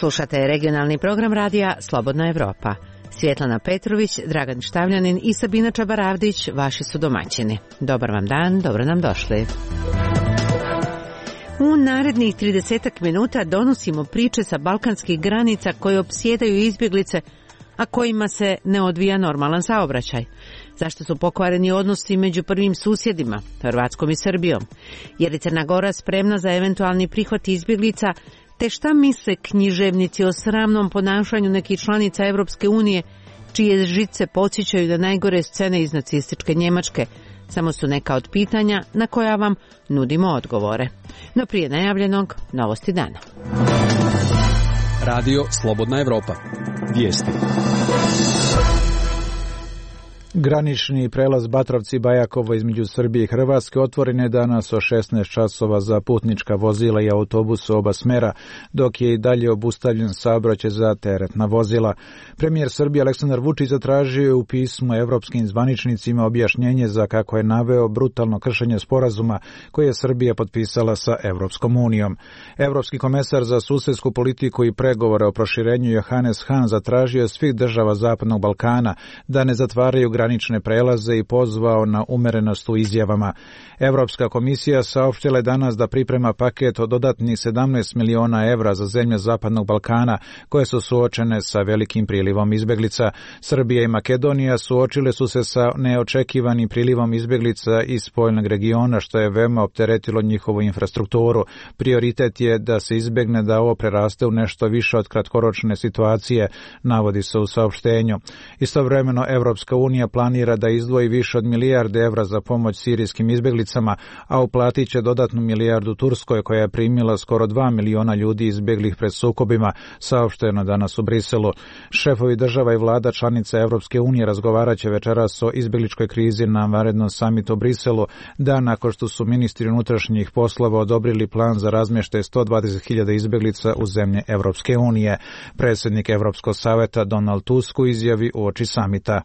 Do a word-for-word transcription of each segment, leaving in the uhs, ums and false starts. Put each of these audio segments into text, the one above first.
Slušate regionalni program radija Slobodna Evropa. Svjetlana Petrović, Dragan Štavljanin i Sabina Čabaravdić vaši su domaćini. Dobar vam dan, dobro nam došli. U narednih tridesetak minuta donosimo priče sa balkanskih granica koje opsjedaju izbjeglice, a kojima se ne odvija normalan saobraćaj. Zašto su pokvareni odnosi među prvim susjedima, Hrvatskom i Srbijom? Je li Crna Gora spremna za eventualni prihvat izbjeglica? Te šta misle književnici o sramnom ponašanju nekih članica Evropske unije, čije žice podsjećaju na najgore scene iz nacističke Njemačke? Samo su neka od pitanja na koja vam nudimo odgovore. No prije najavljenog, novosti dana. Radio Slobodna Evropa. Vijesti. Granični prelaz Batrovci-Bajakovo između Srbije i Hrvatske otvoren je danas o šesnaest časova za putnička vozila i autobus oba smera, dok je i dalje obustavljen saobraćaj za teretna vozila. Premijer Srbije Aleksandar Vučić zatražio je u pismu evropskim zvaničnicima objašnjenje za, kako je naveo, brutalno kršenje sporazuma koje je Srbija potpisala sa Evropskom unijom. Evropski komesar za susjedsku politiku i pregovore o proširenju Johannes Hahn zatražio je svih država Zapadnog Balkana da ne zatvaraju granične prelaze i pozvao na umerenost u izjavama. Evropska komisija saopštila je danas da priprema paket od dodatnih sedamnaest miliona evra za zemlje Zapadnog Balkana koje su suočene sa velikim prilivom izbjeglica. Srbija i Makedonija suočile su se sa neočekivanim prilivom izbjeglica iz spoljnog regiona, što je veoma opteretilo njihovu infrastrukturu. Prioritet je da se izbjegne da ovo preraste u nešto više od kratkoročne situacije, navodi se u saopštenju. Istovremeno Evropska unija planira da izdvoji više od milijarde evra za pomoć sirijskim izbjeglicama, a uplatit će dodatnu milijardu Turskoj, koja je primila skoro dva miliona ljudi izbjeglih pred sukobima, saopšteno danas u Briselu. Šefovi država i vlada članica Evropske unije razgovarat će večeras o izbjegličkoj krizi na vanrednom samitu u Briselu, dan nakon što su ministri unutrašnjih poslova odobrili plan za razmještaj sto dvadeset hiljada izbjeglica u zemlje Evropske unije. Predsjednik Evropskog savjeta Donald Tusk u izjavi uoči samita.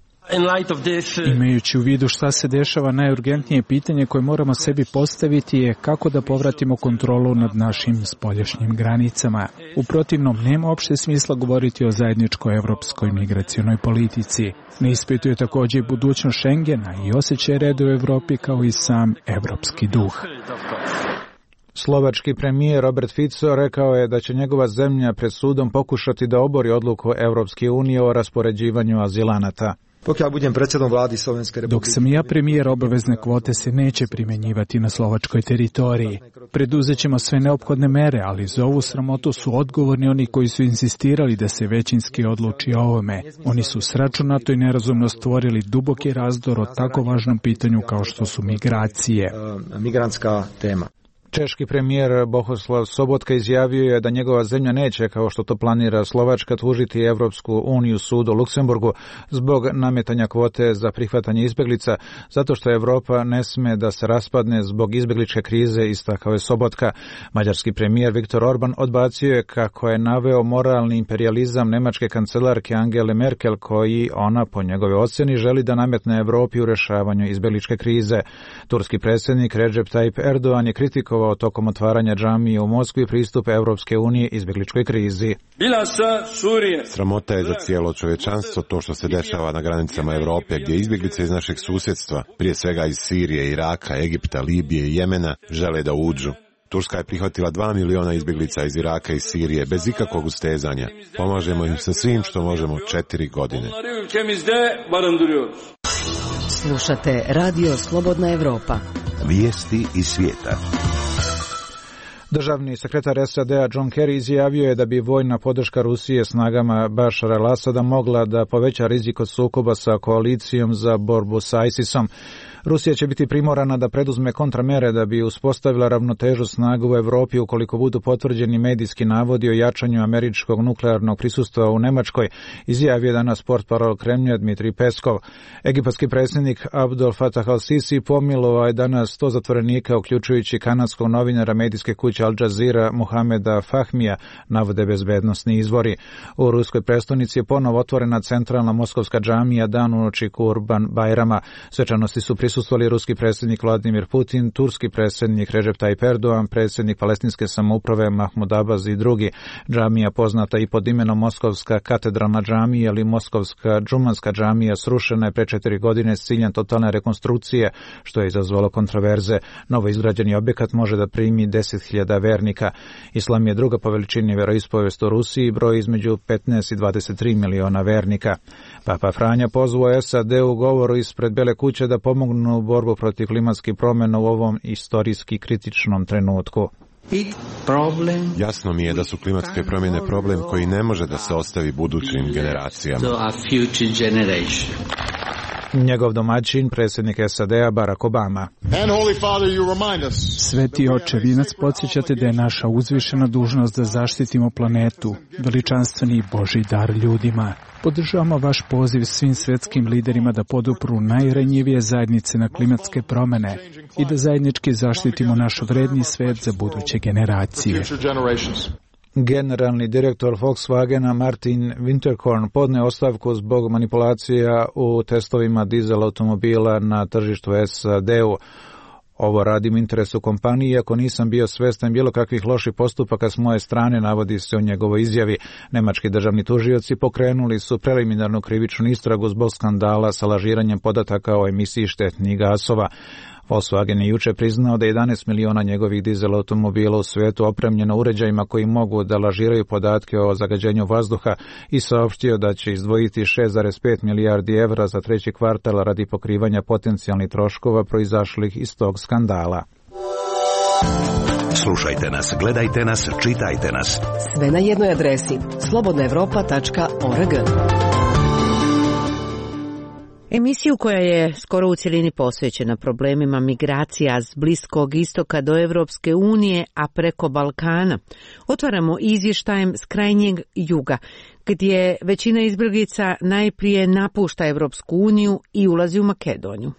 Imajući u vidu šta se dešava, najurgentnije pitanje koje moramo sebi postaviti je kako da povratimo kontrolu nad našim spoljašnjim granicama. U protivnom, nema opšte smisla govoriti o zajedničkoj evropskoj migracionoj politici. Ne ispituje također i budućnost Schengena i osjećaj reda u Evropi kao i sam evropski duh. Slovački premijer Robert Fico rekao je da će njegova zemlja pred sudom pokušati da obori odluku Evropske unije o raspoređivanju azilanata. Dok sam ja premijer, obavezne kvote se neće primjenjivati na slovačkoj teritoriji. Preduzet ćemo sve neophodne mere, ali za ovu sramotu su odgovorni oni koji su insistirali da se većinski odluči o ovome. Oni su sračunato i nerazumno stvorili duboki razdor o tako važnom pitanju kao što su migracije. Migrantska tema. Češki premijer Bohuslav Sobotka izjavio je da njegova zemlja neće, kao što to planira Slovačka, tužiti Evropsku uniju sud u Luksemburgu zbog nametanja kvote za prihvatanje izbjeglica, zato što Evropa ne sme da se raspadne zbog izbjegličke krize, istakao je Sobotka. Mađarski premijer Viktor Orban odbacio je, kako je naveo, moralni imperijalizam nemačke kancelarke Angele Merkel, koji ona, po njegove ocjeni, želi da nametne Evropi u rješavanju izbjegličke krize. Turski predsjednik Recep Tayyip Erdogan je kritikovao tokom otvaranja džamije u Moskvi pristup Evropske unije izbjegličkoj krizi. Sramota je za cijelo čovječanstvo to što se dešava na granicama Europe, gdje izbjeglice iz našeg susjedstva, prije svega iz Sirije, Iraka, Egipta, Libije i Jemena, žele da uđu. Turska je prihvatila dva miliona izbjeglica iz Iraka i Sirije bez ikakvog ustezanja. Pomažemo im sa svim što možemo četiri godine. Slušate Radio Slobodna Evropa. Vijesti iz svijeta. Državni sekretar S A D-a John Kerry izjavio je da bi vojna podrška Rusije snagama Bašara al-Asada mogla da poveća rizik od sukoba sa koalicijom za borbu sa ISISom. Rusija će biti primorana da preduzme kontramere da bi uspostavila ravnotežu snaga u Evropi ukoliko budu potvrđeni medijski navodi o jačanju američkog nuklearnog prisustva u Nemačkoj, izjavio je danas portparol Kremlja Dmitrij Peskov. Egipatski predsjednik Abdel Fattah al-Sisi pomilovao je danas sto zatvorenika, uključujući kanadskog novinara medijske kuće Al Jazeera Mohameda Fahmija, navode bezbednosni izvori. U ruskoj prestonici je ponovo otvorena centralna moskovska džamija dan uoči Kurban Bajrama. Svečanosti su prisutni prisustvovali ruski predsjednik Vladimir Putin, turski predsjednik Recep Tayyip Erdogan, predsjednik palestinske samouprave Mahmud Abbas i drugi. Džamija, poznata i pod imenom Moskovska katedralna džamija ili Moskovska džumanska džamija, srušena je pre četiri godine s ciljem totalne rekonstrukcije, što je izazvalo kontroverze. Novo izgrađeni objekat može da primi deset hiljada vernika. Islam je druga po veličini veroispovest u Rusiji, broj između petnaest i dvadeset tri miliona vernika. Papa Franja pozvao S A D u govoru ispred Bele kuće da pomognu u borbu protiv klimatskih promjena u ovom istorijski kritičnom trenutku. Jasno mi je da su klimatske promjene problem koji ne može da se ostavi budućim generacijama. Njegov domaćin, predsjednik S A D-a Barack Obama. Sveti oče, vi nas podsjećate da je naša uzvišena dužnost da zaštitimo planetu, veličanstveni Božji dar ljudima. Podržavamo vaš poziv svim svjetskim liderima da podupru najranjivije zajednice na klimatske promjene i da zajednički zaštitimo naš vredni svet za buduće generacije. Generalni direktor Volkswagena Martin Winterkorn podne ostavku zbog manipulacija u testovima dizel automobila na tržištu S A D-u. Ovo radim u interesu kompanije, iako nisam bio svestan bilo kakvih loših postupaka s moje strane, navodi se u njegovoj izjavi. Nemački državni tužioci pokrenuli su preliminarnu krivičnu istragu zbog skandala sa lažiranjem podataka o emisiji štetnih gasova. Volkswagen je juče priznao da je jedanaest miliona njegovih dizel automobila u svijetu opremljeno uređajima koji mogu da lažiraju podatke o zagađenju vazduha i saopštio da će izdvojiti šest zarez pet milijardi evra za treći kvartal radi pokrivanja potencijalnih troškova proizašlih iz tog skandala. Slušajte nas, gledajte nas, čitajte nas. Sve na jednoj adresi slobodna evropa tačka org. Emisiju koja je skoro u cjelini posvećena problemima migracija s Bliskog istoka do Evropske unije, a preko Balkana, otvaramo izvještajem s krajnjeg juga, gdje većina izbjeglica najprije napušta Evropsku uniju i ulazi u Makedoniju.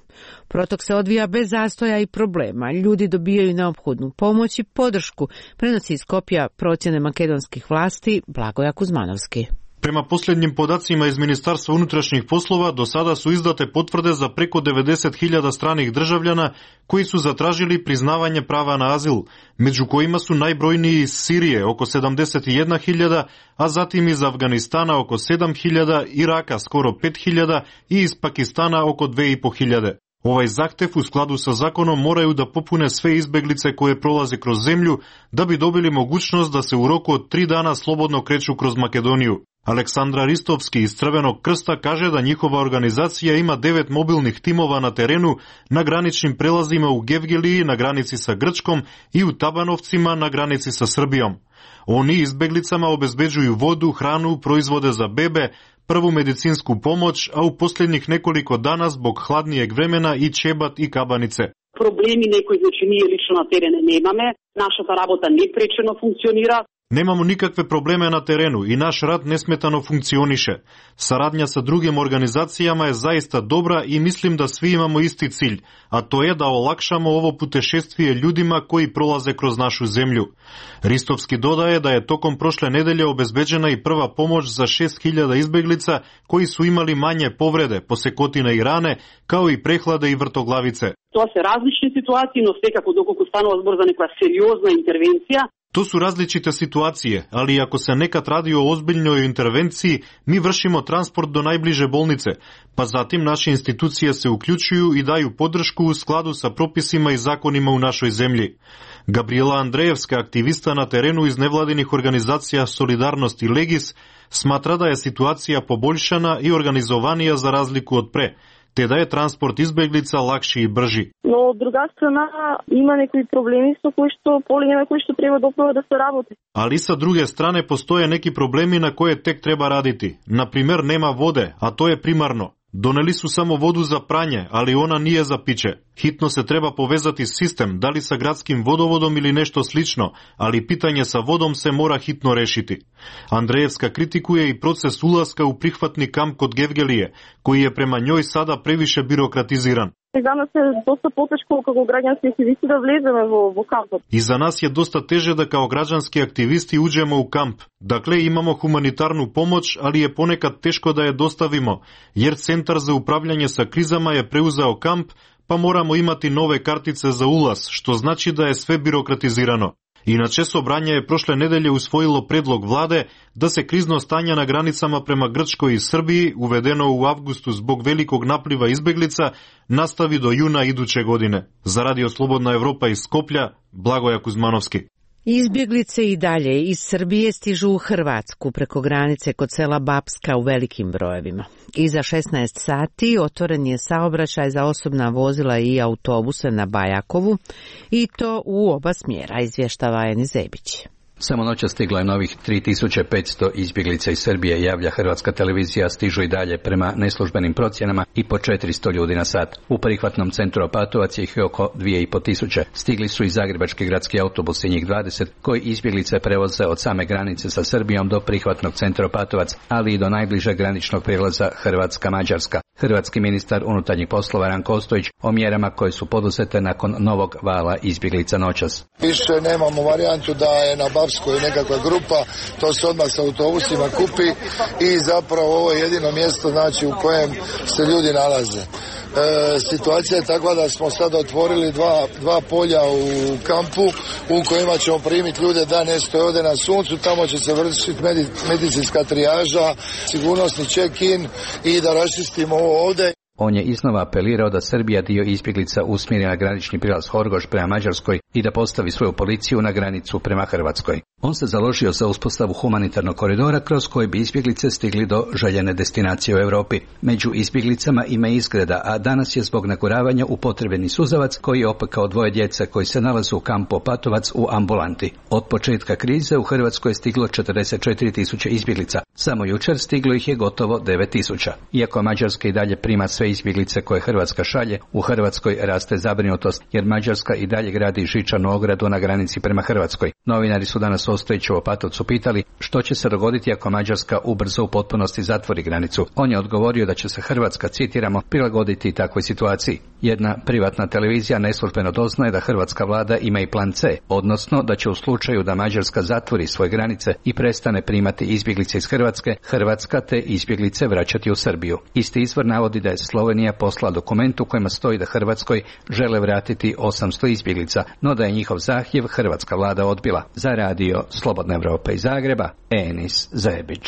Protok se odvija bez zastoja i problema. Ljudi dobijaju neophodnu pomoć i podršku, prenosi iz Skopja procjene makedonskih vlasti Blagoja Kuzmanovski. Prema posljednjim podacima iz Ministarstva unutrašnjih poslova, do sada su izdate potvrde za preko devedeset hiljada stranih državljana koji su zatražili priznavanje prava na azil, među kojima su najbrojniji iz Sirije oko sedamdeset jedna hiljada, a zatim iz Afganistana oko sedam hiljada, Iraka skoro pet hiljada i iz Pakistana oko dve i po hiljade. Ovaj zahtev u skladu sa zakonom moraju da popune sve izbeglice koje prolaze kroz zemlju da bi dobili mogućnost da se u roku od tri dana slobodno kreću kroz Makedoniju. Aleksandra Ristovski iz Crvenog krsta kaže da njihova organizacija ima devet mobilnih timova na terenu na graničnim prelazima u Gevgeliji na granici sa Grčkom i u Tabanovcima na granici sa Srbijom. Oni izbeglicama obezbeđuju vodu, hranu, proizvode za bebe, prvu medicinsku pomoć, a u posljednjih nekoliko dana zbog hladnijeg vremena i čebat i kabanice. Problemi nekoj, znači nije lično na terene nemame, naša ta rabota neprečeno funkcionira. Nemamo nikakve probleme na terenu i naš rad nesmetano funkcioniše. Saradnja sa drugim organizacijama je zaista dobra i mislim da svi imamo isti cilj, a to je da olakšamo ovo putešestvije ljudima koji prolaze kroz našu zemlju. Ristovski dodaje da je tokom prošle nedelje obezbeđena i prva pomoć za šest hiljada izbeglica koji su imali manje povrede, posekotine i rane, kao i prehlade i vrtoglavice. To se različne situacije, no svekako dokoliko stanova zbor za neka seriozna intervencija. To su različite situacije, ali ako se nekad radi o ozbiljnoj intervenciji, mi vršimo transport do najbliže bolnice, pa zatim naše institucije se uključuju i daju podršku u skladu sa propisima i zakonima u našoj zemlji. Gabriela Andrejevska, aktivista na terenu iz nevladinih organizacija Solidarnost i Legis, smatra da je situacija poboljšana i organizovanija za razliku od pre, te da je transport izbeglica lakši i brži. No, od druga strana ima neki problemi sa koji što polije na koji što treba dopravo da se raboti. Ali sa druge strane postoje neki problemi na koje tek treba raditi. Na primjer, nema vode, a to je primarno. Doneli su samo vodu za pranje, ali ona nije za piće. Hitno se treba povezati sistem, da li sa gradskim vodovodom ili nešto slično, ali pitanje sa vodom se mora hitno rešiti. Andrejevska kritikuje i proces ulaska u prihvatni kamp kod Gevgelije, koji je prema njoj sada previše birokratiziran. За нас е доста потешко како граѓански активисти да влеземе во, во кампот. И за нас е доста теже да као граѓански активисти уđemo u kamp. Dakle, imamo humanitarnu pomoć, ali je ponekad teško da je dostavimo, jer Centar za upravljanje sa krizama je preuzeo kamp, pa moramo imati nove kartice za ulaz, što znači da je sve birokratizirano. Inače, Sobranje je prošle nedelje usvojilo predlog vlade da se krizno stanje na granicama prema Grčkoj i Srbiji, uvedeno u avgustu zbog velikog napliva izbeglica, nastavi do juna iduće godine. Za Radio Slobodna Evropa iz Skoplja, Blagoja Kuzmanovski. Izbjeglice i dalje iz Srbije stižu u Hrvatsku preko granice kod sela Bapska u velikim brojevima. Iza šesnaest sati otvoren je saobraćaj za osobna vozila i autobuse na Bajakovu i to u oba smjera, izvještava Enis Zebić. Samo noća stiglo je novih tri tisuće petsto izbjeglica iz Srbije, javlja Hrvatska televizija, stižu i dalje prema neslužbenim procjenama i po četiristo ljudi na sat. U prihvatnom centru Opatovac ih je oko dvije i po tisuće. Stigli su i zagrebački gradski autobusi, njih dvadeset, koji izbjeglice prevoze od same granice sa Srbijom do prihvatnog centra Opatovac, ali i do najbližeg graničnog prijelaza Hrvatska-Mađarska. Hrvatski ministar unutarnjih poslova Ranko Ostojić o mjerama koje su poduzete nakon novog vala izbjeglica noćas. Više nemamo varijantu da je na Bapskoj nekakva grupa, to se odmah sa autobusima kupi i zapravo ovo je jedino mjesto, znači, u kojem se ljudi nalaze. E, situacija je takva da smo sada otvorili dva, dva polja u kampu u kojima ćemo primiti ljude da ne stoje ovdje na suncu, tamo će se vršiti medicinska trijaža, sigurnosni check-in i da raščistimo ovo ovdje. On je iznova apelirao da Srbija dio izbjeglica usmjeri na granični prilaz Horgoš prema Mađarskoj i da postavi svoju policiju na granicu prema Hrvatskoj. On se založio za uspostavu humanitarnog koridora kroz koji bi izbjeglice stigli do željene destinacije u Europi. Među izbjeglicama ima izgreda, a danas je zbog naguravanja upotrebljeni suzavac koji je opekao dvoje djece koji se nalaze u kampu Opatovac u ambulanti. Od početka krize u Hrvatskoj je stiglo četrdeset četiri tisuće izbjeglica. Samo jučer stiglo ih je gotovo devet tisuća. Iako Mađarska i dalje prima sve izbjeglice koje Hrvatska šalje, u Hrvatskoj raste zabrinutost jer Mađarska i dalje gradi žičanu ogradu na granici prema Hrvatskoj. Novinari su danas Ostojića u Opatovcu pitali što će se dogoditi ako Mađarska ubrzo u potpunosti zatvori granicu. On je odgovorio da će se Hrvatska, citiramo, prilagoditi takvoj situaciji. Jedna privatna televizija neslužbeno doznaje da hrvatska vlada ima i plan C, odnosno da će u slučaju da Mađarska zatvori svoje granice i prestane primati izbjeglice iz Hrvatske, Hrvatska te izbjeglice vraćati u Srbiju. Isti izvor navodi da je Slovenija poslala dokument u kojima stoji da Hrvatskoj žele vratiti osamsto izbjeglica, no da je njihov zahtjev hrvatska vlada odbila. Za Radio Slobodna Evropa iz Zagreba, Enis Zebić.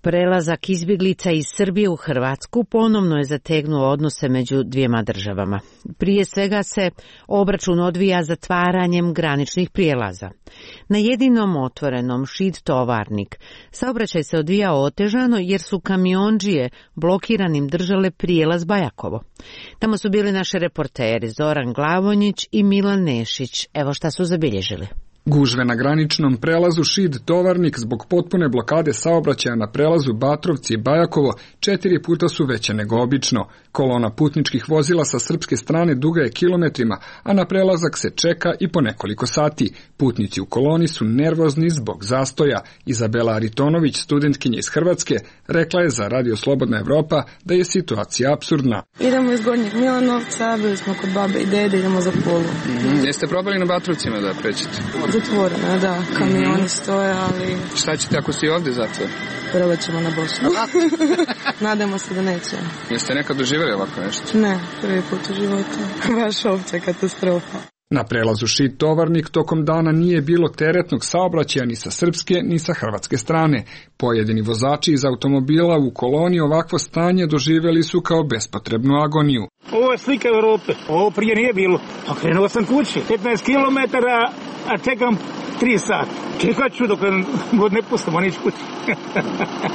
Prelazak izbjeglica iz Srbije u Hrvatsku ponovno je zategnuo odnose među dvijema državama. Prije svega se obračun odvija zatvaranjem graničnih prijelaza. Na jedinom otvorenom Šid Tovarnik saobraćaj se odvija otežano jer su kamiondžije blokiranim držale prijelaz Bajakovo. Tamo su bili naši reporteri Zoran Glavonjić i Milan Nešić. Evo šta su zabilježili. Gužve na graničnom prelazu Šid Tovarnik zbog potpune blokade saobraćaja na prelazu Batrovci i Bajakovo četiri puta su veće nego obično. Kolona putničkih vozila sa srpske strane duga je kilometrima, a na prelazak se čeka i po nekoliko sati. Putnici u koloni su nervozni zbog zastoja. Izabela Aritonović, studentkinja iz Hrvatske, rekla je za Radio Slobodna Evropa da je situacija apsurdna. Idemo iz Gornjeg Milanovca, bili smo kod babe i dede, idemo za Pulu. Mm-hmm. Jeste probali na Batrovcima da prećete? Zatvoreno, da, kamioni mm-hmm. stoje, ali... Šta ćete ako si ovdje zatvor? Probat ćemo na Bosnu. Nadamo se da neće. Jeste nekad doživjeli ovako nešto? Ne, prvi put u životu. Baš opća katastrofa. Na prelazu Šid Tovarnik tokom dana nije bilo teretnog saobraćaja ni sa srpske ni sa hrvatske strane. Pojedini vozači iz automobila u koloni ovakvo stanje doživjeli su kao bespotrebnu agoniju. Ovo je slika Europe. Ovo prije nije bilo. Pa krenuo sam kući. petnaest kilometara, a čekam tri sata. Čekat ću dok god ne pustimo nić kući.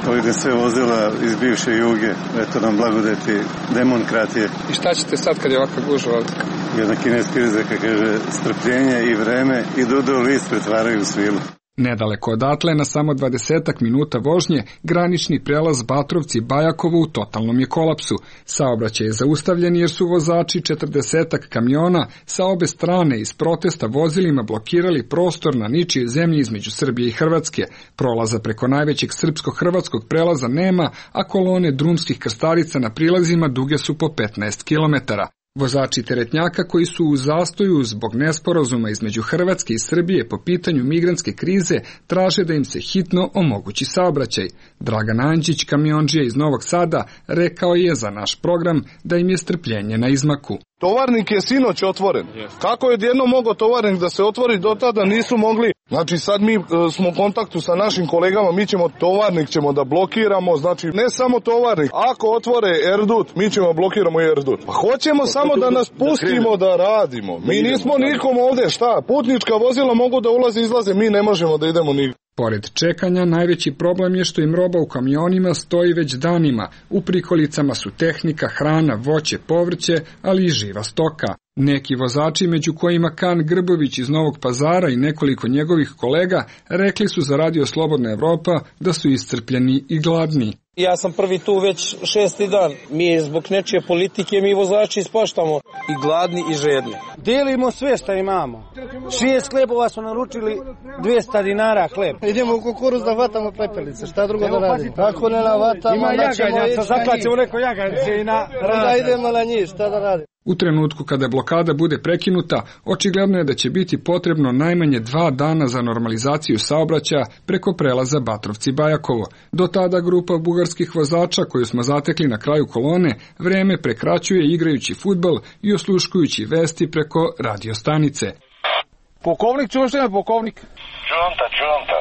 Ovdje sve vozila iz bivše Juge. Eto nam blagodeti demokratije. I šta ćete sad kad je ovakva gužva ovdje? Jedna kineska izreka kaže strpljenje i vreme i dudo list pretvaraju u svilu. Nedaleko odatle, na samo dvadesetak minuta vožnje, granični prelaz Batrovci Bajakovo u totalnom je kolapsu. Saobraćaj je zaustavljen jer su vozači četrdesetak kamiona sa obe strane iz protesta vozilima blokirali prostor na ničijoj zemlji između Srbije i Hrvatske. Prolaza preko najvećeg srpsko-hrvatskog prelaza nema, a kolone drumskih krstarica na prilazima duge su po petnaest kilometara. Vozači teretnjaka koji su u zastoju zbog nesporazuma između Hrvatske i Srbije po pitanju migrantske krize traže da im se hitno omogući saobraćaj. Dragan Anđić, kamiondžija iz Novog Sada, rekao je za naš program da im je strpljenje na izmaku. Tovarnik je sinoć otvoren. Kako je odjedno mogao tovarnik da se otvori, do tada nisu mogli. Znači sad mi e, smo u kontaktu sa našim kolegama, mi ćemo tovarnik ćemo da blokiramo, znači ne samo tovarnik. Ako otvore Erdut, mi ćemo blokiramo i Erdut. Pa hoćemo samo da nas pustimo da radimo. Mi nismo nikom ovdje, šta? Putnička vozila mogu da ulaze i izlaze, mi ne možemo da idemo nigdje. Pored čekanja, najveći problem je što im roba u kamionima stoji već danima. U prikolicama su tehnika, hrana, voće, povrće, ali i živa stoka. Neki vozači, među kojima Kan Grbović iz Novog Pazara i nekoliko njegovih kolega, rekli su za Radio Slobodna Evropa da su iscrpljeni i gladni. Ja sam prvi tu već šesti dan. Mi zbog nečije politike, mi vozači ispaštamo i gladni i žedni. Delimo sve što imamo. Šest hlebova smo naručili, dvjesto dinara hleb. Idemo u kukuruz da vatamo pepelice, šta drugo da radimo? Ako ne navatamo, ima jaganjaca, zaklaćemo neko jaganjce i na rada. Da idemo na njih, šta da radimo? U trenutku kada blokada bude prekinuta, očigledno je da će biti potrebno najmanje dva dana za normalizaciju saobraćaja preko prelaza Batrovci-Bajakovo. Do tada grupa bugarskih vozača koju smo zatekli na kraju kolone vreme prekraćuje igrajući fudbal i osluškujući vesti preko radiostanice. Pukovnik, čuješ li me pukovnik? Čunta, čunta.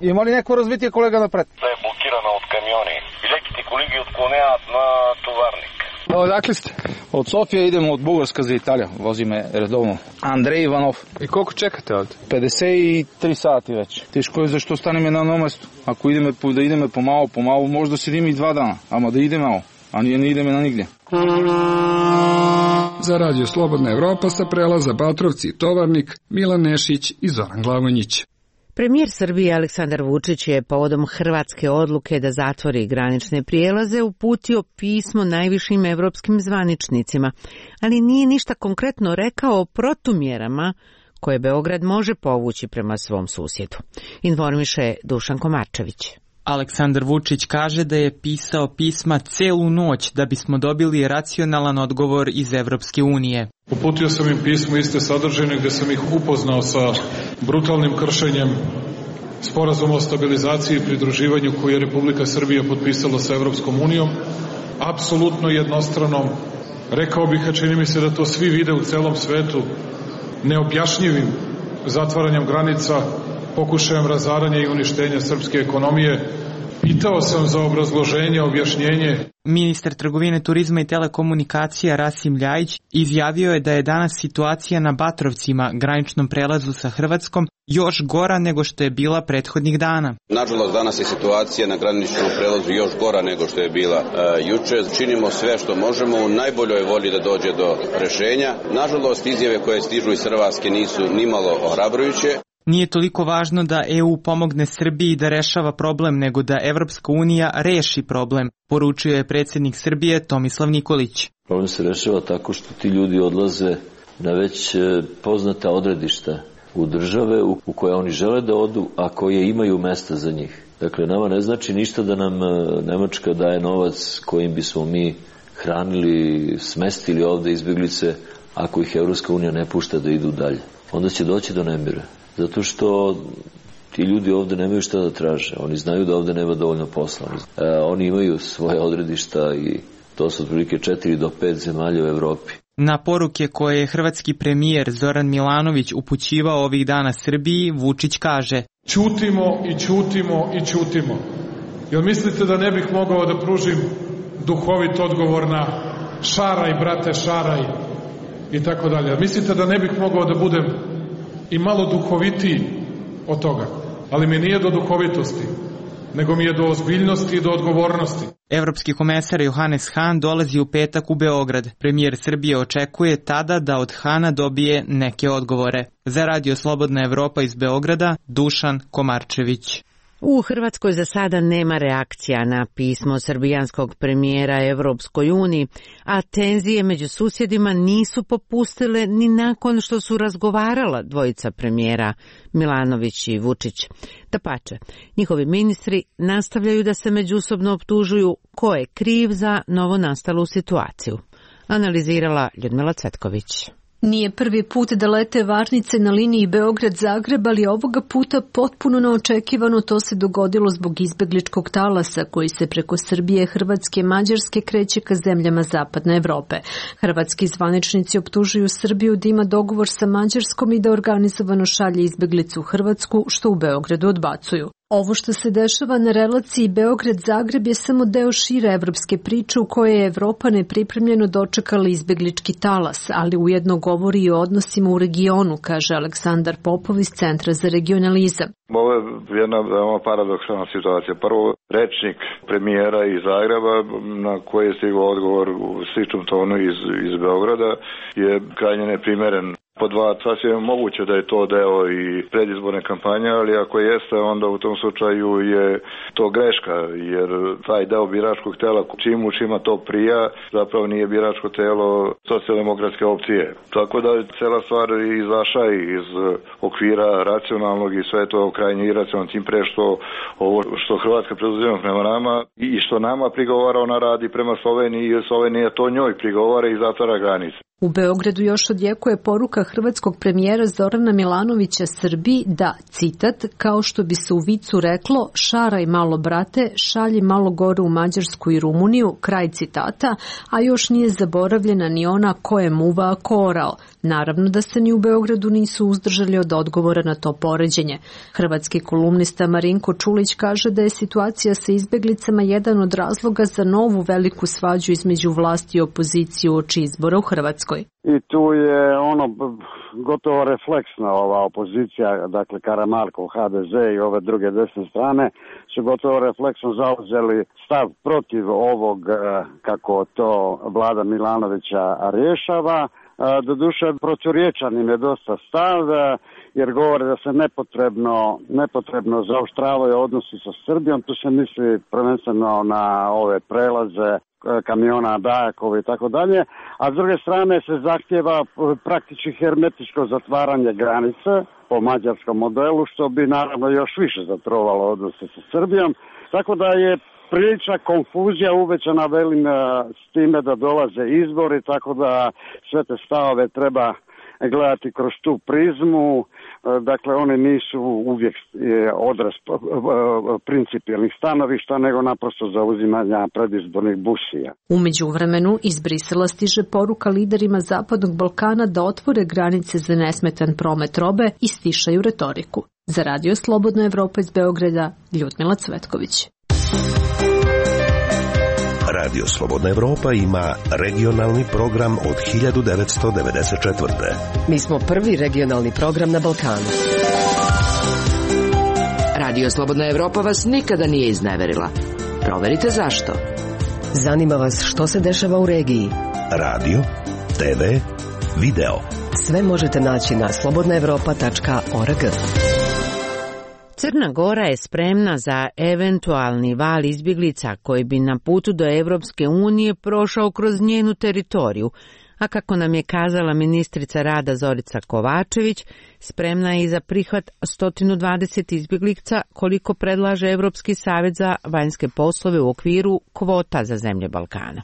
Има ли някой развитие, колега, напред? Да е блокирана от камиони. Леките колеги отклоняват на товарник. Odakle ste? Od Sofije idemo od Bugarska za Italiju. Vozi me redovno. Andrej Ivanov. I koliko čekate ovdje? pedeset tri sati već. Teško je zašto staneme na jednom mjestu. Ako ideme, da ideme pomalo, pomalo, možda sedimo i dva dana. Ama da ide malo, a nije ne ideme na nigdje. Za Radio Slobodna Evropa sa prelaza Batrovci i Tovarnik, Milan Nešić i Zoran Glavonjić. Premijer Srbije Aleksandar Vučić je povodom hrvatske odluke da zatvori granične prijelaze uputio pismo najvišim evropskim zvaničnicima, ali nije ništa konkretno rekao o protumjerama koje Beograd može povući prema svom susjedu. Informiše Dušan Komarčević. Aleksandar Vučić kaže da je pisao pisma celu noć da bismo dobili racionalan odgovor iz Evropske unije. Uputio sam im pismo iste sadržine gdje sam ih upoznao sa brutalnim kršenjem sporazuma o stabilizaciji i pridruživanju koji je Republika Srbija potpisala sa Evropskom unijom, apsolutno jednostranom, rekao bih, a čini mi se da to svi vide u celom svetu, neobjašnjivim zatvaranjem granica, pokušajem razaranja i uništenja srpske ekonomije. Pitao sam za obrazloženje, objašnjenje. Ministar trgovine, turizma i telekomunikacija Rasim Ljajić izjavio je da je danas situacija na Batrovcima, graničnom prelazu sa Hrvatskom, još gora nego što je bila prethodnih dana. Nažalost, danas je situacija na graničnom prelazu još gora nego što je bila uh, juče. Činimo sve što možemo u najboljoj volji da dođe do rešenja. Nažalost, izjave koje stižu iz Hrvatske nisu nimalo ohrabrujuće. Nije toliko važno da E U pomogne Srbiji da rešava problem, nego da Evropska unija reši problem, poručio je predsjednik Srbije Tomislav Nikolić. Problem se rešava tako što ti ljudi odlaze na već poznata odredišta u države u koje oni žele da odu, a koje imaju mesta za njih. Dakle, nama ne znači ništa da nam Nemačka daje novac kojim bismo mi hranili, smestili ovde izbjeglice, ako ih Evropska unija ne pušta da idu dalje. Onda će doći do nemira. Zato što ti ljudi ovde nemaju šta da traže. Oni znaju da ovde nema dovoljno posla. E, oni imaju svoje odredišta i to su otprilike četiri do pet zemalja u Evropi. Na poruke koje je hrvatski premijer Zoran Milanović upućivao ovih dana Srbiji, Vučić kaže: Ćutimo i ćutimo i ćutimo. Jel mislite da ne bih mogao da pružim duhovit odgovor na šaraj, brate, šaraj i tako dalje? Mislite da ne bih mogao da budem i malo duhovitiji od toga, ali mi nije do duhovitosti, nego mi je do ozbiljnosti i do odgovornosti. Evropski komesar Johannes Hahn dolazi u petak u Beograd. Premijer Srbije očekuje tada da od Hana dobije neke odgovore. Za Radio Slobodna Evropa iz Beograda, Dušan Komarčević. U Hrvatskoj za sada nema reakcija na pismo srbijanskog premijera Evropskoj uniji, a tenzije među susjedima nisu popustile ni nakon što su razgovarala dvojica premijera Milanović i Vučić. Dapače, njihovi ministri nastavljaju da se međusobno optužuju ko je kriv za novonastalu situaciju. Analizirala Ljudmila Cvetković. Nije prvi put da lete varnice na liniji Beograd-Zagreb, ali ovoga puta potpuno neočekivano to se dogodilo zbog izbegličkog talasa koji se preko Srbije, Hrvatske i Mađarske kreće ka zemljama Zapadne Evrope. Hrvatski zvaničnici optužuju Srbiju da ima dogovor sa Mađarskom i da organizovano šalje izbeglicu u Hrvatsku, što u Beogradu odbacuju. Ovo što se dešava na relaciji Beograd-Zagreb je samo deo šire evropske priče u kojoj je Evropa nepripremljeno dočekala izbeglički talas, ali ujedno govori i o odnosima u regionu, kaže Aleksandar Popov iz Centra za regionalizam. Ovo je jedna veoma paradoksalna situacija. Prvo, rečnik premijera iz Zagreba, na koji je stigao odgovor u sličnom tonu iz, iz Beograda, je krajnje neprimeren. Po dva, sasvim je moguće da je to deo i predizborne kampanje, ali ako jeste, onda u tom slučaju je to greška, jer taj deo biračkog tela, čim u čima to prija, zapravo nije biračko telo socijaldemokratske opcije. Tako da je cela stvar izašla iz okvira racionalnog i sve to krajnje iracionalno, tim pre što ovo što Hrvatska preduzima prema nama i što nama prigovara, ona radi prema Sloveniji i Slovenija to njoj prigovara i zatvara granice. U Beogradu još odjekuje poruka hrvatskog premijera Zorana Milanovića Srbiji da, citat, kao što bi se u vicu reklo, šaraj malo brate, šalji malo gore u Mađarsku i Rumuniju, kraj citata, a još nije zaboravljena ni ona ko je muva, a ko orao. Naravno da se ni u Beogradu nisu uzdržali od odgovora na to poređenje. Hrvatski kolumnista Marinko Čulić kaže da je situacija sa izbeglicama jedan od razloga za novu veliku svađu između vlasti i opozicije uoči izbora u Hrvatskoj. I tu je ono gotovo refleksna ova opozicija, dakle Karamarkov, ha de ze i ove druge desne strane su gotovo refleksno zauzeli stav protiv ovog, kako to vlada Milanovića rješava. Doduše, proturječan im je dosta stav, jer govore da se nepotrebno, nepotrebno zaoštravaju odnosi sa Srbijom. Tu se misli prvenstveno na ove prelaze kamiona Dajakova i tako dalje, a s druge strane se zahtjeva praktički hermetičko zatvaranje granice po mađarskom modelu, što bi naravno još više zatrovalo odnose sa Srbijom. Tako da je prilična konfuzija uvećana, velim, s time da dolaze izbori, tako da sve te stavove treba gledati kroz tu prizmu. Dakle, one nisu uvijek odraz principijelnih stanovišta, nego naprosto zauzimanja predizbornih busija. U međuvremenu iz Brisela stiže poruka liderima Zapadnog Balkana da otvore granice za nesmetan promet robe i stišaju retoriku. Za Radio Slobodna Evropa iz Beograda, Ljudmila Cvetković. Radio Slobodna Evropa ima regionalni program od hiljadu devetsto devedeset četvrte. Mi smo prvi regionalni program na Balkanu. Radio Slobodna Evropa vas nikada nije izneverila. Proverite zašto. Zanima vas što se dešava u regiji. Radio, te ve, video. Sve možete naći na slobodna evropa tačka org. Crna Gora je spremna za eventualni val izbjeglica koji bi na putu do Evropske unije prošao kroz njenu teritoriju, a kako nam je kazala ministrica rada Zorica Kovačević, spremna je i za prihvat sto dvadeset izbjeglica koliko predlaže Evropski savjet za vanjske poslove u okviru kvota za zemlje Balkana.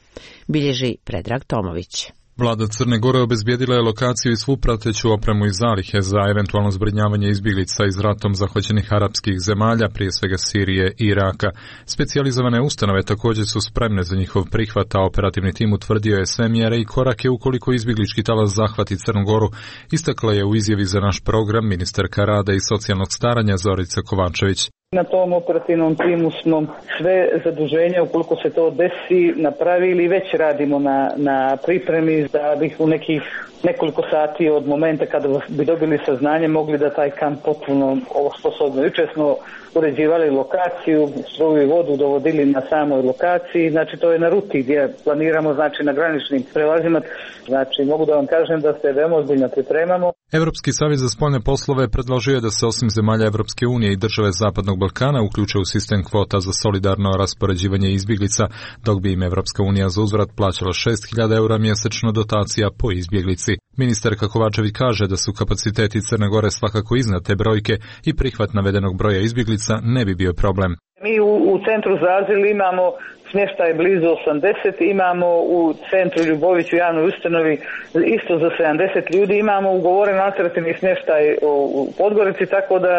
Bilježi Predrag Tomović. Vlada Crne Gore obezbijedila je lokaciju i svu prateću opremu i zalihe za eventualno zbrinjavanje izbjeglica iz ratom zahvaćenih arapskih zemalja, prije svega Sirije i Iraka. Specijalizovane ustanove također su spremne za njihov prihvat, a operativni tim utvrdio je sve mjere i korake ukoliko izbjeglički talas zahvati Crnu Goru, istakla je u izjavi za naš program ministarka rada i socijalnog staranja Zorica Kovačević. Na tom operativnom timu smo sve zaduženja, ukoliko se to desi, napravili i već radimo na, na pripremi da bih u nekih nekoliko sati od momenta kada bi dobili saznanje mogli da taj kamp potpuno ovo sposobno. Jučer smo uređivali lokaciju, struju i vodu dovodili na samoj lokaciji, znači to je na ruti gdje planiramo, znači na graničnim prelazima, znači mogu da vam kažem da se veoma ozbiljno pripremamo. Evropski savjet za spoljne poslove predložio je da se osim zemalja Evropske unije i države Zapadnog Balkana uključe u sistem kvota za solidarno raspoređivanje izbjeglica, dok bi im Evropska unija za uzvrat plaćala šest hiljada eura mjesečno dotacija po izbjeglici. Ministarka Kovačević kaže da su kapaciteti Crne Gore svakako iznad te brojke i prihvat navedenog broja izbjeglica ne bi bio problem. Mi u, u centru za azil imamo smještaj blizu osamdeset, imamo u centru Ljubović u javnoj ustanovi isto za sedamdeset ljudi, imamo ugovoren alternativni smještaj u Podgorici, tako da,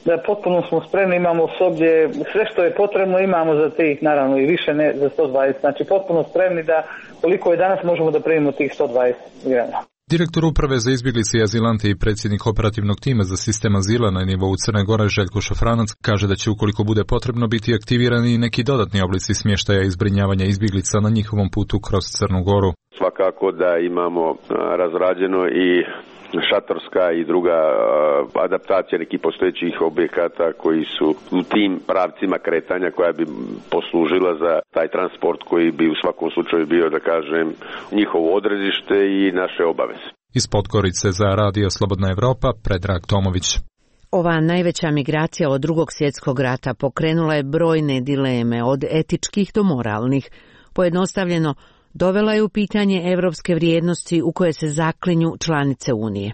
da potpuno smo spremni, imamo osoblje, sve što je potrebno imamo za tih, naravno i više ne za sto dvadeset, znači potpuno spremni da koliko je danas možemo da primimo tih sto dvadeset migrana. Direktor Uprave za izbjeglice i azilante i predsjednik operativnog tima za sistem azila na nivou Crne Gore Željko Šafranac kaže da će ukoliko bude potrebno biti aktivirani neki dodatni oblici smještaja i zbrinjavanja izbjeglica na njihovom putu kroz Crnu Goru. Svakako da imamo razrađeno i šatorska i druga adaptacija nekih postojećih objekata koji su u tim pravcima kretanja koja bi poslužila za taj transport koji bi u svakom slučaju bio, da kažem, njihovo odredište i naše obaveze. Iz Podgorice za Radio Slobodna Evropa, Predrag Tomović. Ova najveća migracija od drugog svjetskog rata pokrenula je brojne dileme, od etičkih do moralnih. Pojednostavljeno, dovela je u pitanje evropske vrijednosti u koje se zaklinju članice Unije.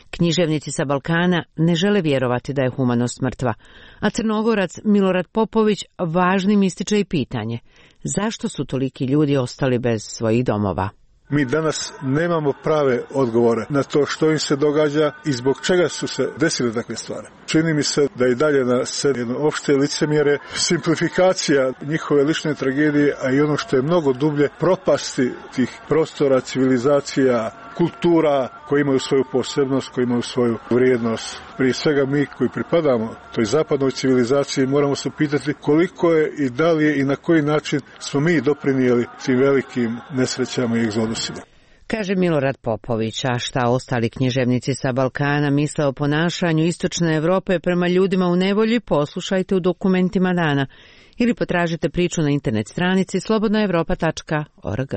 Književnici sa Balkana ne žele vjerovati da je humanost mrtva, a Crnogorac Milorad Popović važnim ističe i pitanje zašto su toliki ljudi ostali bez svojih domova. Mi danas nemamo prave odgovore na to što im se događa i zbog čega su se desile takve stvari. Čini mi se da i dalje na sceni jedno opšte licemjere, simplifikacija njihove lične tragedije, a i ono što je mnogo dublje, propasti tih prostora, civilizacija, kultura koji imaju svoju posebnost, koji imaju svoju vrijednost. Prije svega mi koji pripadamo toj zapadnoj civilizaciji moramo se pitati koliko je i da li je i na koji način smo mi doprinijeli tim velikim nesrećama i egzodusima. Kaže Milorad Popović, a šta ostali književnici sa Balkana misle o ponašanju istočne Europe prema ljudima u nevolji, poslušajte u dokumentima dana ili potražite priču na internet stranici slobodna evropa tačka org.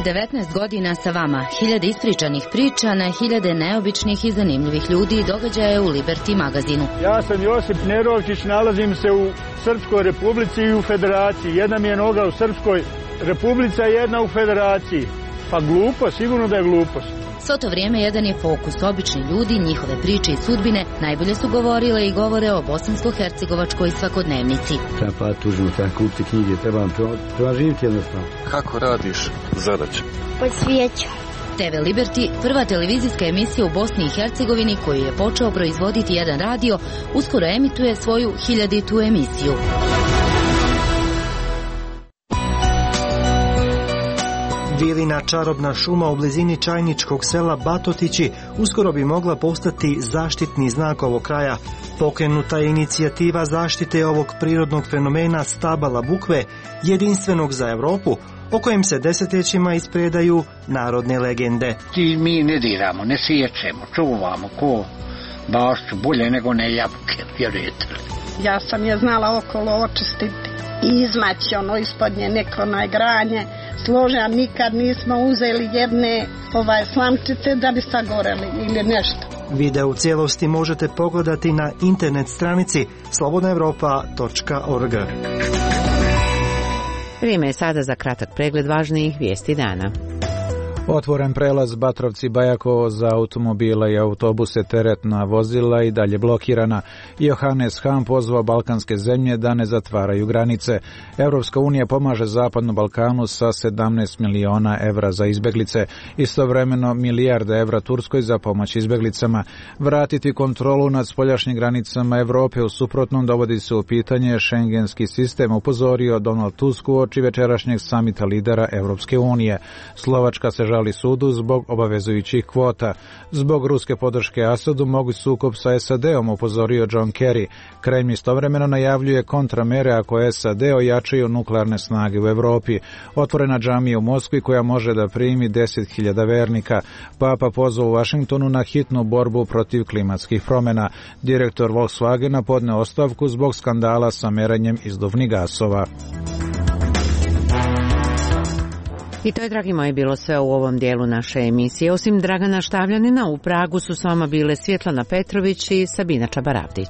devetnaest godina sa vama, hiljade ispričanih priča na hiljade neobičnih i zanimljivih ljudi i događaja u Liberty magazinu. Ja sam Josip Nerovčić, nalazim se u Srpskoj republici i u Federaciji. Jedna mi je noga u Srpskoj republici, a jedna u Federaciji. Pa glupo, sigurno da je glupost. Svo to vrijeme jedan je fokus, obični ljudi, njihove priče i sudbine najbolje su govorile i govore o bosansko-hercegovačkoj svakodnevnici. Treba pa tužno, treba kupiti knjige, treba, treba živjeti jednostavno. Kako radiš zadaće? Po svijeću. te ve Liberty, prva televizijska emisija u Bosni i Hercegovini koju je počeo proizvoditi jedan radio, uskoro emituje svoju hiljaditu emisiju. Vilina čarobna šuma u blizini čajničkog sela Batotići uskoro bi mogla postati zaštitni znak ovog kraja. Pokrenuta je inicijativa zaštite ovog prirodnog fenomena stabala bukve, jedinstvenog za Europu, o kojem se desetljećima ispredaju narodne legende. Ti mi ne diramo, ne siječemo, čuvamo ko bašću, bolje nego ne jabuke, vjerujete li? Ja sam je znala okolo očistiti i izmaći ono ispod nje neko najgranje. Složa, nikad nismo uzeli jedne ovaj slamčice da bi sagoreli ili nešto. Video u cijelosti možete pogledati na internet stranici slobodna evropa tačka org. Vrijeme je sada za kratak pregled važnijih vijesti dana. Otvoren prelaz Batrovci-Bajakovo za automobile i autobuse, teretna vozila i dalje blokirana. Johannes Hahn pozvao balkanske zemlje da ne zatvaraju granice. Europska unija pomaže Zapadnom Balkanu sa sedamnaest miliona evra za izbeglice. Istovremeno milijarde evra Turskoj za pomoć izbeglicama. Vratiti kontrolu nad spoljašnjim granicama Europe, u suprotnom dovodi se u pitanje šengenski sistem, upozorio Donald Tusk uoči večerašnjeg samita lidera Europske unije. Slovačka se žali sudu zbog obavezujućih kvota. Zbog ruske podrške Asadu moguć sukob sa es a de-om, upozorio John Kerry. Kremlj istovremeno najavljuje kontramere ako es a de ojačaju nuklearne snage u Europi. Otvorena džamija u Moskvi koja može da primi deset hiljada vernika. Papa pozvao u Vašingtonu na hitnu borbu protiv klimatskih promjena. Direktor Volkswagena podneo ostavku zbog skandala sa merenjem izduvnih gasova. I to je, dragi moji, bilo sve u ovom dijelu naše emisije. Osim Dragana Štavljanina, u Pragu su s vama bile Svjetlana Petrović i Sabina Čabaravdić.